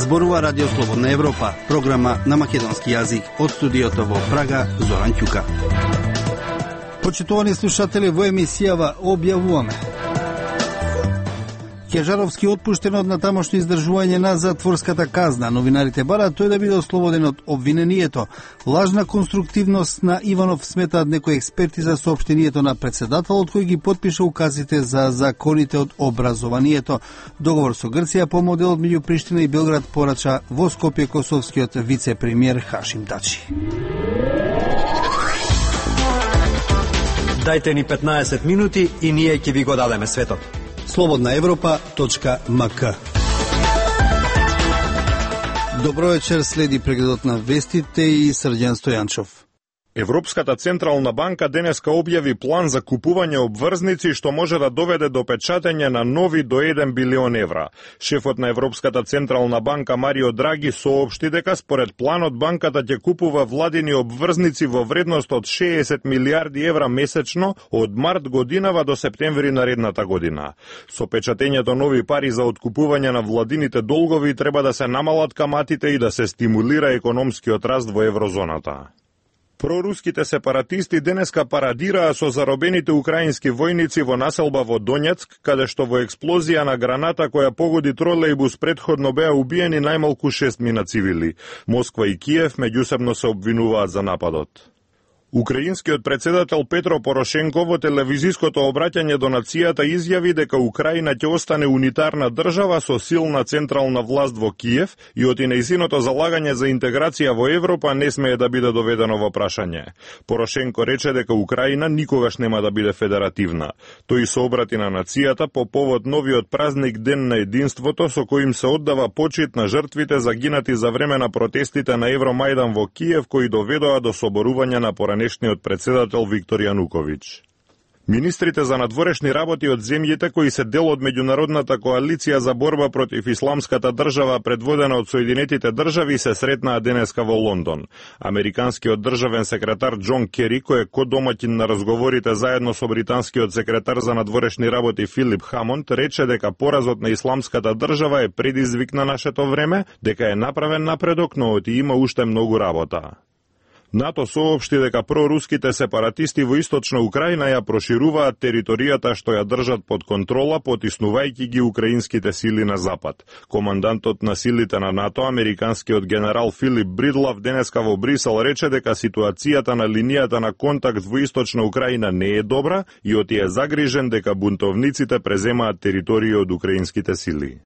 Зборува Радио Слободна Европа, програма на македонски јазик од студиото во Прага, Зоран Ќука. Почитувани слушатели, во емисијава објавуваме: Кежаровски отпуштен од натамошно издржување на затворската казна. Новинарите бараат тој да биде ослободен од обвинението. Лажна конструктивност на Иванов, сметаат некои експерти за соопштението на председателот кој ги потпиша указите за законите од образованието. Договор со Грција по моделот меѓу Приштина и Белград порача во Скопје косовскиот вице-премиер Хашим Тачи. Дајте ни 15 минути и ние ќе ви го дадеме светот. slobodnaevropa.mk. Добро вечер, следи прегледот на вестите и Срđan Стојанчов. Европската централна банка денеска објави план за купување обврзници што може да доведе до печатење на нови до 1 билион евра. Шефот на Европската централна банка Марио Драги соопшти дека според планот банката ќе купува владини обврзници во вредност од 60 милиарди евра месечно од март годинава до септември наредната година. Со печатењето нови пари за откупување на владините долгови треба да се намалат каматите и да се стимулира економскиот раст во еврозоната. Проруските сепаратисти денеска парадираа со заробените украински војници во населба во Донецк, каде што во експлозија на граната која погоди тролејбус претходно беа убиени најмалку 6 мина цивили. Москва и Киев меѓусебно се обвинуваат за нападот. Украинскиот председател Петро Порошенко во телевизиското обраќање до нацијата изјави дека Украина ќе остане унитарна држава со силна централна власт во Киев и оти нејзиното залагање за интеграција во Европа не смее да биде доведено во прашање. Порошенко рече дека Украина никогаш нема да биде федеративна. Тој се обрати на нацијата по повод новиот празник Ден на единството со кој им се оддава почит на жртвите загинати за време на протестите на Евромајдан во Киев кои доведоа до соборување на поранешниот председател Виктор Јануковиќ. Министрите за надворешни работи од земјите кои се дел од меѓународната коалиција за борба против исламската држава предводена од Соединетите држави се сретнаа денеска во Лондон. Американскиот државен секретар Џон Кери, кој е кодомаќин на разговорите заедно со британскиот секретар за надворешни работи Филип Хамонд, рече дека поразот на исламската држава е предизвик на нашето време, дека е направен напредок, но оти има уште многу работа. НАТО соопшти дека проруските сепаратисти во источна Украина ја прошируваат територијата што ја држат под контрола, потиснувајќи ги украинските сили на запад. Командантот на силите на НАТО, американскиот генерал Филип Бридлав, денеска во Брисел рече дека ситуацијата на линијата на контакт во источна Украина не е добра и оти е загрижен дека бунтовниците преземаат територија од украинските сили.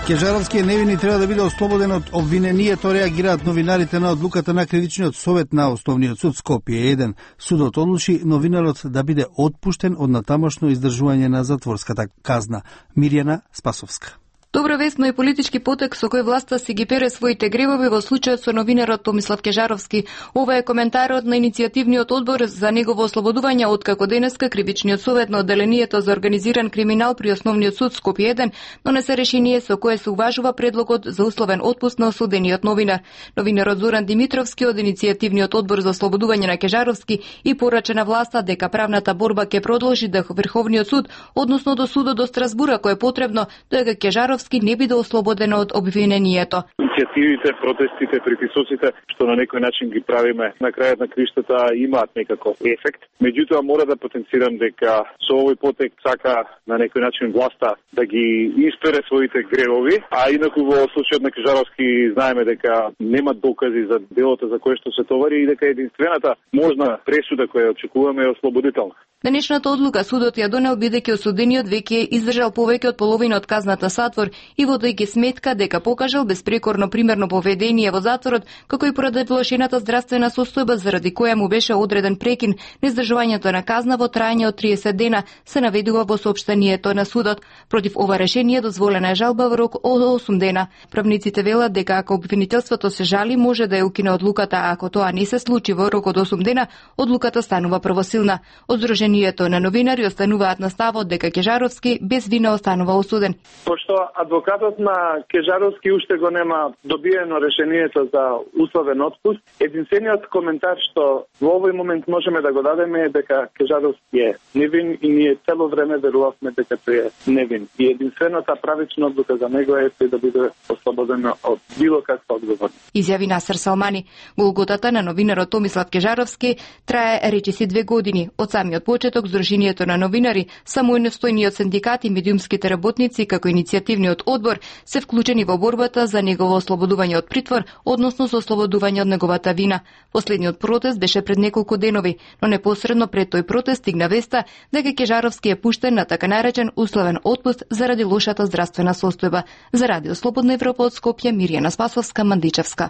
Кежаровскиот невини треба да биде ослободен од обвинението, реагираат новинарите на одлуката на кривичниот совет на Основниот суд Скопје 1. Судот одлучи новинарот да биде отпуштен од натамошно издржување на затворската казна. Мирјана Спасовска. Добра вест, но и политички потек со кој власта си ги пере своите гревови во случајот со новинарот Томислав Кежаровски. Ова е коментарот на иницијативниот одбор за негово ослободување откако денеска кривичниот совет на одделението за организиран криминал при Основниот суд Скопје 1 донесе решение со кое се уважува предлогот за условен отпуст на осудениот новинар. Новинарот Зоран Димитровски од иницијативниот одбор за ослободување на Кежаровски и порача на власта дека правната борба ќе продолжи до Врховниот суд, односно до судот до Страсбур ако е потребно, дека Кежаровски не биде ослободен од обвинението. Иницијативите, протестите, притисоците што на некој начин ги правиме на крајот на криштата имаат некаков ефект. Меѓутоа мора да потенцирам дека со овој потек сака на некој начин власта да ги испере своите гревови, а инаку во случајот на Кежаровски знаеме дека нема докази за делото за кое што се товари и дека единствената можна пресуда која очекуваме е ослободителна. Денешната одлука судот ја донел бидејќи осудениот веќе издржал повеќе од половина од казната затвор и водејќи сметка дека покажал безпрекорно примерно поведение во затворот, како и поради влошената здравствена состојба заради која му беше одреден прекин на издржувањето на казна во траење од 30 дена, се наведува во соопштението на судот. Против ова решение дозволена е жалба во рок од 8 дена. Правниците велат дека ако обвинителството се жали, може да ја укине одлуката, а ако тоа не се случи во рок од 8 дена, одлуката станува правосилна. Од Сдруженијето на новинари остануваат на ставот дека Кежаровски без вина останува осуден. Пошто адвокатот на Кежаровски уште го нема добиено решението за условен отпуст, единствениот коментар што во овој момент можеме да го дадеме е дека Кежаровски е невин и ние цело време верувавме дека тој е невин. И единствената правична одлука за него е тој да биде ослободен од било каква одговорност. Изјави Насер Салмани. Голготата на новинарот Томислав Кежаровски трае речиси 2 години. Од самиот почеток Сдруженијето на новинари, самостојниот синдикат и медиумските работници како иницијативниот одбор се вклучени во борбата за негово ослободување од притвор, односно за ослободување од неговата вина. Последниот протест беше пред неколку денови, но непосредно пред тој протест стигна веста дека Кежаровски е пуштен на така наречен условен отпуст заради лошата здравствена состојба. За Радио Слободна Европа од Скопје, Мирјана Спасовска, Мандичевска.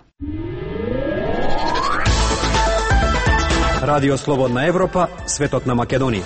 Радио Слободна Европа, светот на Македонија.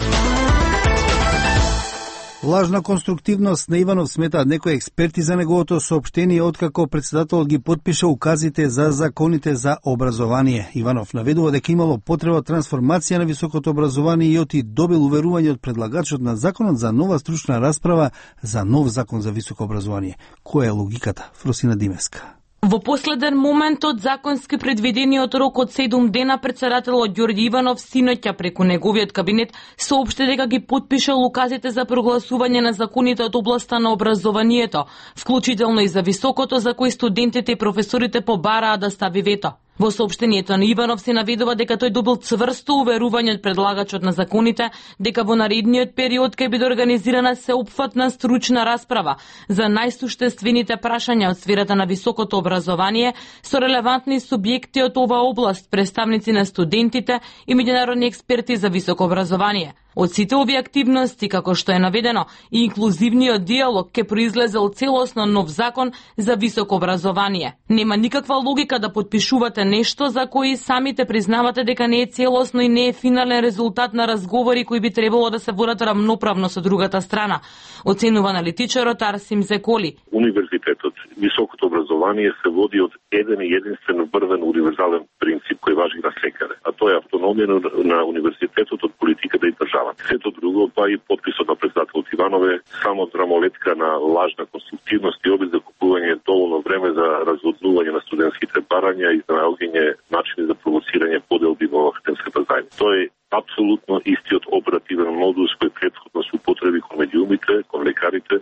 Лажна конструктивност на Иванов сметаат некои експерти за неговото соопштение откако председателот ги потпиша указите за законите за образование. Иванов наведува дека имало потреба трансформација на високото образование и оти добил уверување од предлагачот на законот за нова стручна расправа за нов закон за високо образование. Која е логиката? Фросина Димеска. Во последен момент од законски предвидениот рок од 7 дена, председателот Ѓорѓе Иванов синоќа преку неговиот кабинет соопшти дека ги потпишал указите за прогласување на законите од областа на образованието, вклучително и за високото, за кои студентите и професорите побараа да стави вето. Во соопштението на Иванов се наведува дека тој добил цврсто уверување од предлагачот на законите дека во наредниот период ќе биде организирана сеопфатна стручна расправа за најсуштествените прашања од сферата на високото образование со релевантни субјекти од оваа област, представници на студентите и меѓународни експерти за високо образование. Од сите овие активности, како што е наведено, и инклузивниот диалог ќе произлезел целосно нов закон за високо образование. Нема никаква логика да потпишувате нешто за кои самите признавате дека не е целосно и не е финален резултат на разговори кои би требало да се водат рамноправно со другата страна, оценува аналитичарот Арсим Зеколи. Универзитетот, високото образование се води од еден и единствен врвен универзален принцип кој важи на секаде, а тоа е автономија на универзитетот од политиката и државата. Сето друго, па и подписот на председателот Иванове, само драмолетка на лажна конструктивност и обид за купување доволно време за разводнување на студентските барања и за наоѓање начини за провоцирање поделби во академската заедница. Тоа е апсолутно истиот оперативен модус кој претходно се употреби кон медиумите, кон лекарите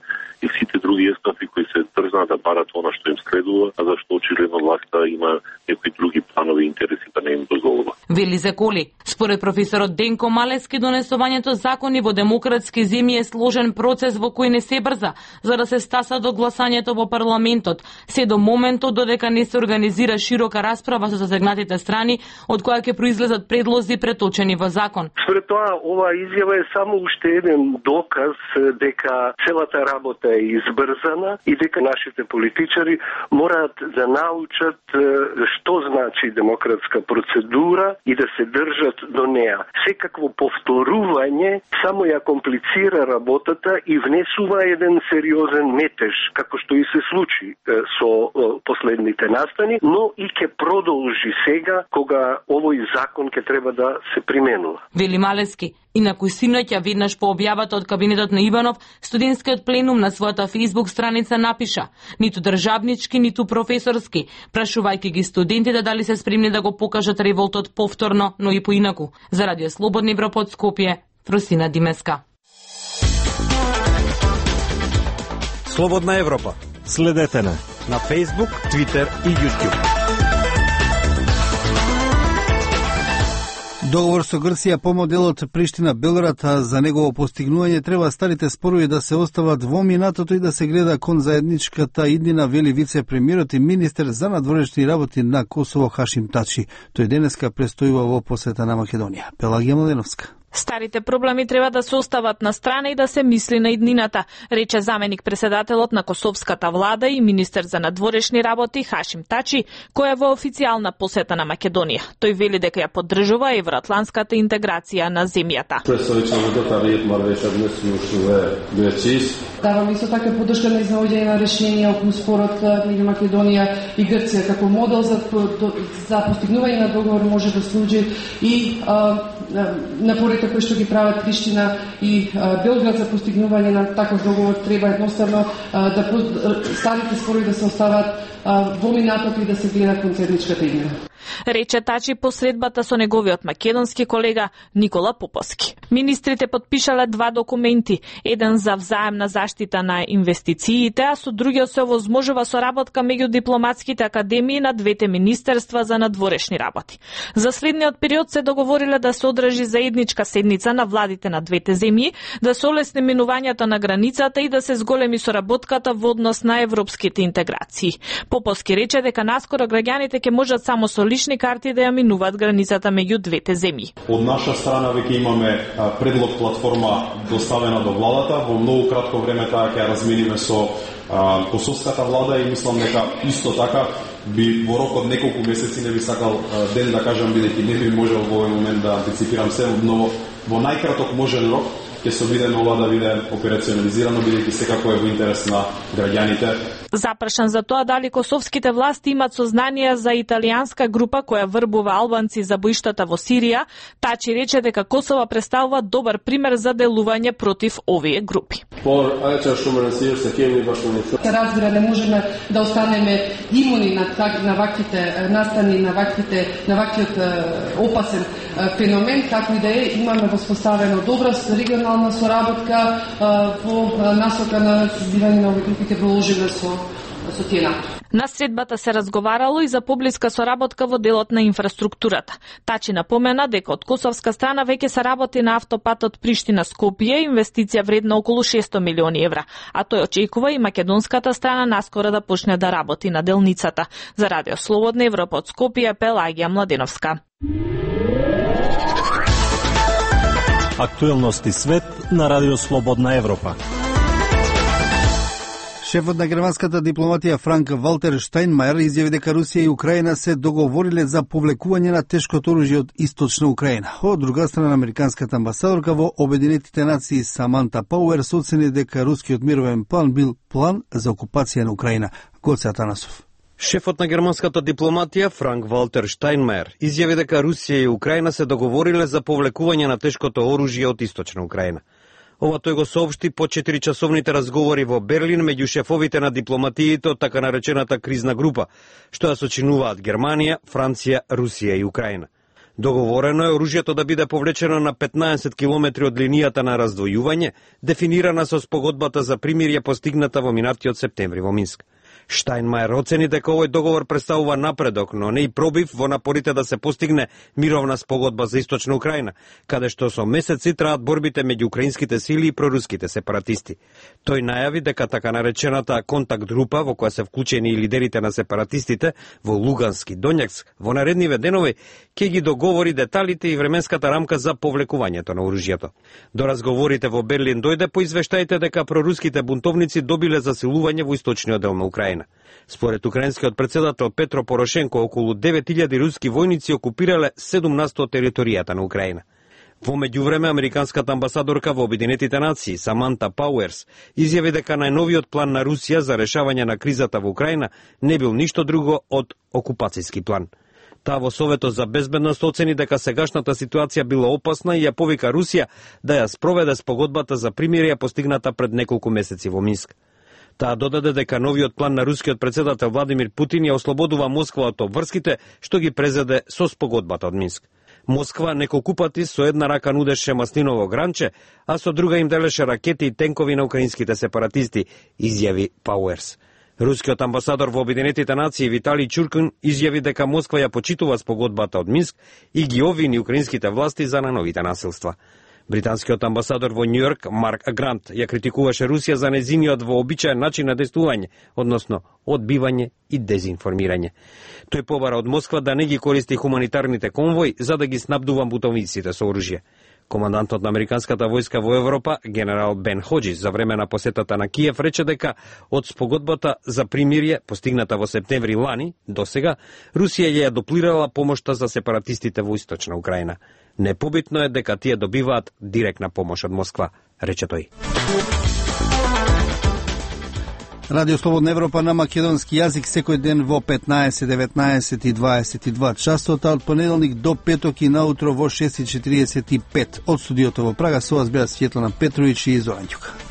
и сите други естафи кои се дрзнаа да барат она што им следува, а зашто очигледно власта има некои други планови интереси да не им дозволува. Вели Зеколи. Според професорот Денко Малески, донесувањето закони во демократски земји е сложен процес во кој не се брза, за да се стаса до гласањето во парламентот, се до моментот додека не се организира широка расправа со засегнатите страни, од која ќе произлезат предлози преточени во закон. Според тоа, оваа изјава е само уште еден доказ дека целата работа е избрзана и дека нашите политичари мораат да научат што значи демократска процедура и да се држат до неа. Секакво повторување само ја комплицира работата и внесува еден сериозен метеж, како што и се случи со последните настани, но и ќе продолжи сега кога овој закон ќе треба да се применува. Вели Малески. Инаку синоќа веднаш по објавата од кабинетот на Иванов, студентскиот пленум на својата Facebook страница напиша: ниту државнички, ниту професорски, прашувајќи ги студентите дали се спремни да го покажат револтот повторно, но и поинаку. За Радио Слободна Европа од Скопје, Фросина Димеска. Слободна Европа. Следете на Facebook, Twitter и YouTube. Договор со Грција по моделот Приштина-Белград, за негово постигнување треба старите спорови да се остават во минатото и да се гледа кон заедничката иднина, вели вице-премиерот и министер за надворешни работи на Косово Хашим Тачи. Тој денеска престојува во посета на Македонија. Пелагија Младеновска. Старите проблеми треба да се остават на страна и да се мисли на иднината, рече заменик председателот на косовската влада и министер за надворешни работи Хашим Тачи, кој е во официјална посета на Македонија. Тој вели дека ја поддржува евроатлантската интеграција на земјата. Давам исто така поддршка на изнаоѓање на решение околу спорот меѓу Македонија и Грција како модел за постигнување на договор може да служи и напорите напорите кои што ги прават Приштина и Белград за постигнување на таков договор треба едноставно да старите спорови да се остават во минатото и да се гледа кон заедничката иднина. Рече Тачи по средбата со неговиот македонски колега Никола Поповски. Министрите подпишале 2 документи, еден за взаемна заштита на инвестициите, а со другиот се овозможува соработка меѓу дипломатските академии на двете министерства за надворешни работи. За следниот период се договориле да се одржи заедничка седница на владите на двете земји, да се олесни минувањето на границата и да се зголеми соработката во однос на европските интеграции. Поповски рече дека наскоро граѓаните ќе можат само со лични карти да ја минуваат границата меѓу двете земји. Од наша страна веќе имаме предлог платформа доставена до владата. Во многу кратко време таа ќе ја размениме со косовската влада и мислам дека исто така би во рок од неколку месеци, не би сакал ден да кажам бидејќи не би можел во овој момент да антиципирам се, но во најкраток можен рок ќе се обидеме ова да биде операционализирано, бидејќи секако е во интерес на граѓаните. Запрашан за тоа дали косовските власти имат сознание за италијанска група која врбува албанци за боиштата во Сирија, Тачи рече дека Косово представува добар пример за делување против овие групи. Се разбира, не можеме да останеме имуни на ваквите настани, на ваквиот опасен феномен, како и да е, имаме воспоставено добра регионална соработка во насока на сузбивање на овие групи ќе продолжиме со тие напори. На средбата се разговарало и за поблиска соработка во делот на инфраструктурата. Тачи напомена дека од косовска страна веќе се работи на автопатот Приштина-Скопје, инвестиција вредна околу 600 милиони евра, а тој очекува и македонската страна наскоро да почне да работи на делницата. За Радио Слободна Европа од Скопје, Пелагија Младеновска. Актуелности свет на Радио Слободна Европа. Шефот на германската дипломатија Франк Валтер Штајнмајер изјави дека Русија и Украина се договориле за повлекување на тешкото оружје од источна Украина. Од друга страна, американската амбасадорка во Обединетите нации Саманта Пауер оцени дека рускиот мировен план бил план за окупација на Украина. Гоце Атанасов. Шефот на германската дипломатија Франк Валтер Штајнмајер изјави дека Русија и Украина се договориле за повлекување на тешкото оружје од источна Украина. Ова тој го соопшти по 4-часовните разговори во Берлин меѓу шефовите на дипломатиите од така наречената кризна група, што ја сочинуваат Германија, Франција, Русија и Украина. Договорено е оружјето да биде повлечено на 15 километри од линијата на раздвојување, дефинирана со спогодбата за примирје постигната во минатиот септември во Минск. Штајнмајер оцени дека овој договор представува напредок, но не и пробив во напорите да се постигне мировна спогодба за источна Украина, каде што со месеци траат борбите меѓу украинските сили и проруските сепаратисти. Тој најави дека така наречената контакт група, во која се вклучени и лидерите на сепаратистите во Лугански и Донјацк, во наредниве денови ќе ги договори деталите и временската рамка за повлекувањето на оружјето. До разговорите во Берлин дојде по извештаите дека проруските бунтовници добиле засилување во источниот дел на Украина. Според украинскиот председател Петро Порошенко, околу 9000 руски војници окупирале 7% од територијата на Украина. Во меѓувреме, американската амбасадорка во Обединетите нации Саманта Пауерс изјави дека најновиот план на Русија за решавање на кризата во Украина не бил ништо друго од окупацијски план. Таа во Советот за безбедност оцени дека сегашната ситуација била опасна и ја повика Русија да ја спроведе спогодбата за примирие постигната пред неколку месеци во Минск. Таа додаде дека новиот план на рускиот председател Владимир Путин ја ослободува Москва од обврските што ги презеде со спогодбата од Минск. Москва неколку пати со една рака нудеше маслиново гранче, а со друга им делеше ракети и тенкови на украинските сепаратисти, изјави Пауерс. Рускиот амбасадор во Обединетите нации Виталий Чуркин изјави дека Москва ја почитува спогодбата од Минск и ги обвини украинските власти за најновите насилства. Британскиот амбасадор во Њујорк Марк Грант ја критикуваше Русија за незиниот вообичаен начин на действување, односно одбивање и дезинформирање. Тој побара од Москва да не ги користи хуманитарните конвои за да ги снабдува бунтовниците со оружје. Командантот на американската војска во Европа, генерал Бен Ходжис, за време на посетата на Киев, рече дека од спогодбата за примирие, постигната во септември лани, до сега, Русија ја дуплирала помошта за сепаратистите во источна Украина. Непобитно е дека тие добиваат директна помош од Москва, рече тој. Радио Слободна Европа на македонски јазик секој ден во 15, 19 и 22 часот, а од понеделник до петок и наутро во 6:45. Од студиото во Прага со вас беа Светлана Петровиќ и Зоран Ѓука.